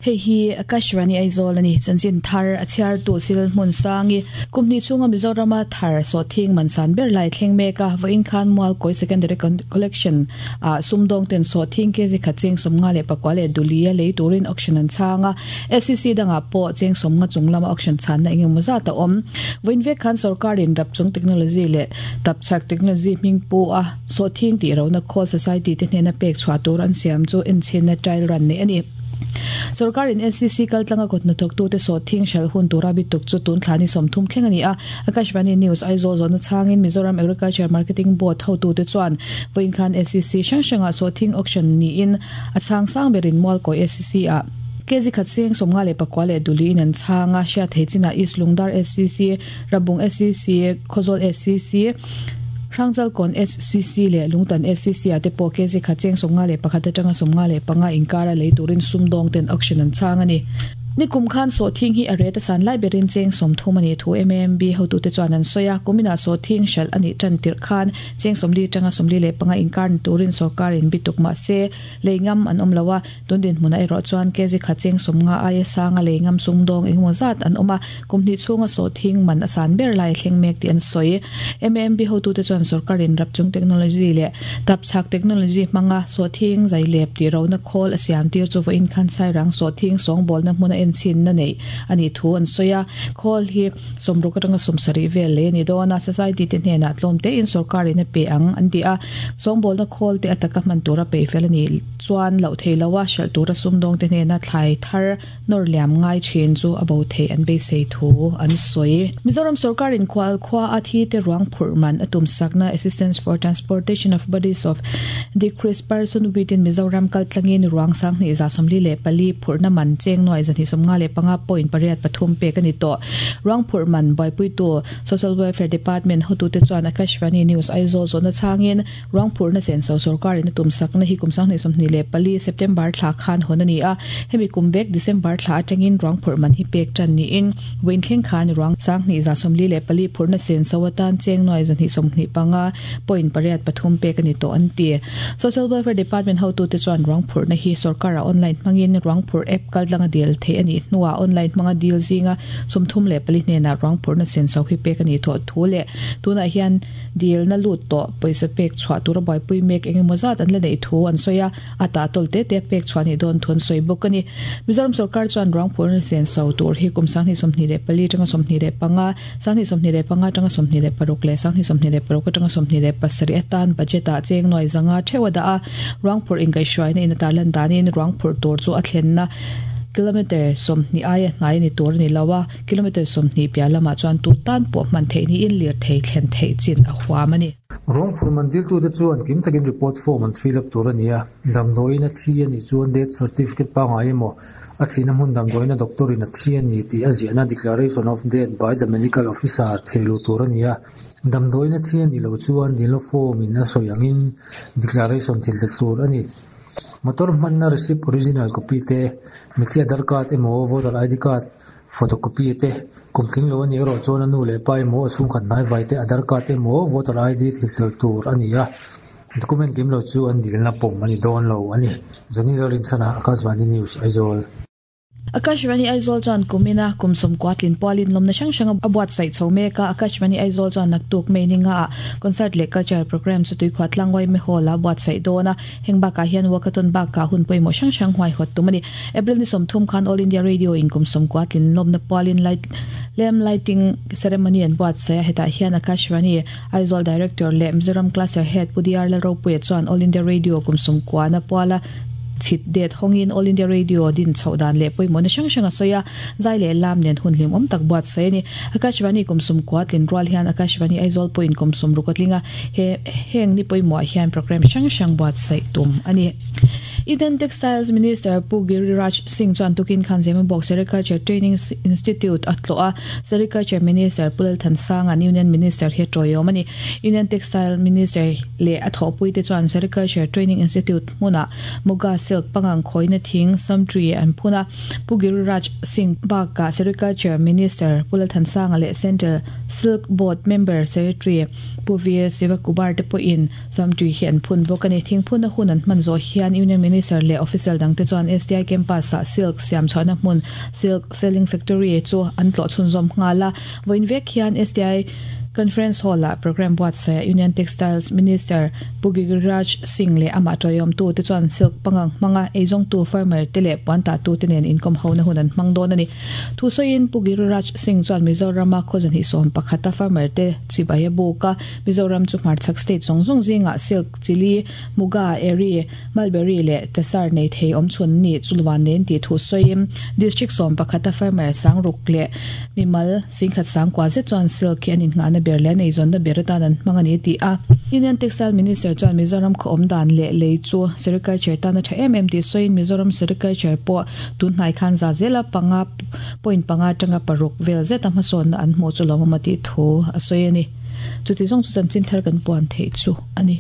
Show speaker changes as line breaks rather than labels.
Hei hi Akashvani Aizawl a ni. Chanchin thar a chhiartu Sil Hmunsangi kum hnih chhunga Mizorama thar sawhthing man san ber lai thleng mek a, vawiin khan Mualkawi Secondary Collection ah sumdawng ten sawhthing kg khat cheng sawmnga leh pakua leh duli a lei turin auction an chhang a, SCC dangah pawh cheng sawmnga chung lama auction chhanna eng emaw zat a awm. Vawiin vek khan sorkarin Rapchung Technology leh Tapchhak Technology hming pu a sawhthing tih rohna khawl Society te hnena pek chhuah tur an siam chu enchhinna trial run neih a ni. Sorkarin NCC kaltlanga kut hnathawktute sawhthing hralh hun tura bituk chu tun thla ni 30 thleng a ni a. Akashvani News Aizawl zawhna chhangin Mizoram Agriculture Marketing Board hotute chuan vawiin khan SCC hrang hrangah sawhthing auction niin a chhang sang berin Mualkawi SCC ah kg khat seng 54 leh duliin an chhang a, hriat thei chinah East Lungdar SCC, Rabung SCC, Khawzawl SCC, Hrangchalkawn SCC leh Lungtan SCC ah te pawh kg khat cheng 51 atanga 55 inkara lei turin sumdawng ten auction an chhang a ni. Nikum khan sawhthing hi a ret a san lai berin cheng 30 a nih thu MAMB hotute chuan an sawi a, kuminah sawhthing hralh a nih tan tirh khan cheng 40 atanga 45 inkar ni turin sorkarin bituk mah se lei ngam an awm lo a, Tun dinhmunah erawh chuan kg khat cheng 50 aia sanga lei ngam sumdawng engemaw zat an awm a, kum hnih chhunga sawhthing man a san ber lai a thleng mek tih an sawi. MAMB hotute chuan sorkarin rapchung technology leh tapchhak technology hmanga sawhthing zailep tih rohna khawl a siam tir chu vawiin khan Sairang sawhthing sawngbawlna hmuna enchhinna neih a nih thu an sawi a, khawl hi 60 atanga 70 vel lei a ni dawn a, society te hnenah tlawm tein sorkarin a pe ang an ti a, sawngbawlna khawl te a taka hman tura peih fel a ni. Chuan loh thei lo a, hralh tura sumdawngte hnena thlai thar nawr liam ngai thin chu a bo theih an beisei thu an sawi. Mizoram sorkarin khual khua a thi te ruang phurh man a tum sakna Assistance for Transportation of Bodies of Decreased Person within Mizoram kal tlangin ruang 2144 phurhna man cheng nuai 255 point pariat pathum pek a ni tawh. Ruang phurh man buaipuitu Social Welfare Department hotute chuan Akashvani News Aizawl zawhna chhangin Ruang phurhna senso sorkarin a tum sakna hi kum 2024 September thla khan hawn a ni a, hemi kum vek December thla atangin ruang phurh man hi pek tan niin vawiin thleng khan ruang 2144 phurhna senso atan cheng nuai 225 point pariat pathum pek a ni tawh an ti. Social Welfare Department hotute chuan ruang phurhna hi sorkara online hmangin ruang phurh app kaltlanga dil theih a nih hnuah online hmanga dil zinga 34 hnenah ruang phurhna senso hi pek a nih thawh thu leh tunah hian Dilna lut tawh pawisa pek chhuah tura buaipui mek eng emaw zat an la neih thu an sawi a, a tah tawl te te pek chhuah nih dawn thu an sawi bawk a ni. Mizoram sorkar chuan ruang phurna senso tur hi kum 2024 atanga 25, 2025 atanga 26 leh 2026 atanga 27 atan budget ah cheng nuai zanga theuh a dah a, ruang phurh inkaihhruaina in a tarlan danin ruang phurh tur chu a thlenna kilometre 20 aia hnai a ni tur a ni lo a. Kilometre 20 piah lamah chuan tu tan pawh hman theih niin lirthei thlen theih chin a huam a ni.
Ruang phur man diltute chuan kim takin report form an fill up tur a ni a, damdawiin a thi a nih chuan death certificate pangngai emaw, a thihna hmun damdawiina doctor in a thi a ni tih a ziahna declaration of death by the medical officer thei luh tur a ni a, damdawiin a thi a nih loh chuan dilna form in a sawi angin declaration thil tel tur a ni. Motor hmanna receipt original copy te, mitthi Aadhaar card emaw voter ID card, Photocopy te, kum tling lo a nih erawh chuan a nu leh pa emaw a chhungkhat hnaivai te Aadhaar card emaw voter ID thil tel tur a ni a, document kim lo chu an dilna pawm a ni dawn lo a ni. Johnny Lalrinchhana, Akashvani News, Aizawl.
Akashvani Aizawl chuan kumina kum sawmkua tlin pualin lawmna hrang hrang a buatsaih chho mek a, Akashvani Aizawl chuan naktuk May ni ngaah concert leh cultural programme chu tuikhuah tlangwai me hall a buatsaih dawn a, Heng bakah hian walkathon bakah hun pawimawh hrang hrang huaihawt tum a ni. April ni 30 khan All India Radio in kum 90 tlin lawmna pualin light lamp lighting ceremony an buatsaih a, hetah hian Akashvani Aizawl Director leh Mizoram Cluster Head Pu DR Lalropuia chuan All India Radio kum 90 na puala chhit det hawngin All India Radio din chhoh dan leh pawimawhna hrang hrang a sawi a, zai leh lam nen hun hlimawm tak buatsaih a ni. Akashvani kum 90 tlin rual hian Akashvani Aizawl pawhin kum 60 a tling a, He heng ni pawimawh hian programme hrang hrang buatsaih tum a ni. Union Textiles Minister Pu Giriraj Singh chuan tukin khan Zemabawk Sericulture Training Institute a tlawh a, Sericulture Minister Pu Lalthansanga Union Minister hi a tawiawm a ni. Union Textile Minister leh a thawhpuite chuan Sericulture Training Institute hmunah Muga Silk pangang khawina thing, Samtree, an phun a. Pu Giriraj Singh bakah Sericulture Minister Pu Lalthansanga leh Central Silk Board Member Secretary Pu V Sivakumar te pawhin Samtree hi an phun bawk a ni. Thingphunna hun an hman zawh hian Union Minister leh Officer dangte chuan STI Campus-ah Silk siam chhuahna hmun Silk Felling Factory chu an tlawh chhunzawm nghal a. Vawiin vek hian STI Conference Hall-ah programme buatsaih a Union Textiles Minister Pu Giriraj Singh leh amah tawiawmtu te chuan silk pangang hmanga eizawngtu farmer te leh puan tahtu te nen inkawm hona hun an hmang dawn a ni. Thu sawiin Pu Giriraj Singh chuan Mizorama khawzahnih 11 a farmer te chibai a buk a, Mizoram chu hmarchhak state zawng zawng zingah silk, chili, muga, eri, mulberry leh tasar nei thei awm chhun ni chu luan nen tih thu sawiin District 11 a farmer sangruk leh mimal singkhat sangkua zet chuan silk hi an innghahna ber leh an eizawnna ber atan an hmang a ni tih a. Union Textile Minister chuan Mizoram khaw awm dan leh lei chu sericulture tan a tha em em tih sawiin Mizoram sericulture pawh tun hnai khan za zela panga point panga atanga paruk vel zeta hmasawnna an hmuh chu lawmawm a tih thu a sawi a ni. Chuti zawng chu chanchin thar kan puan theih chu a ni.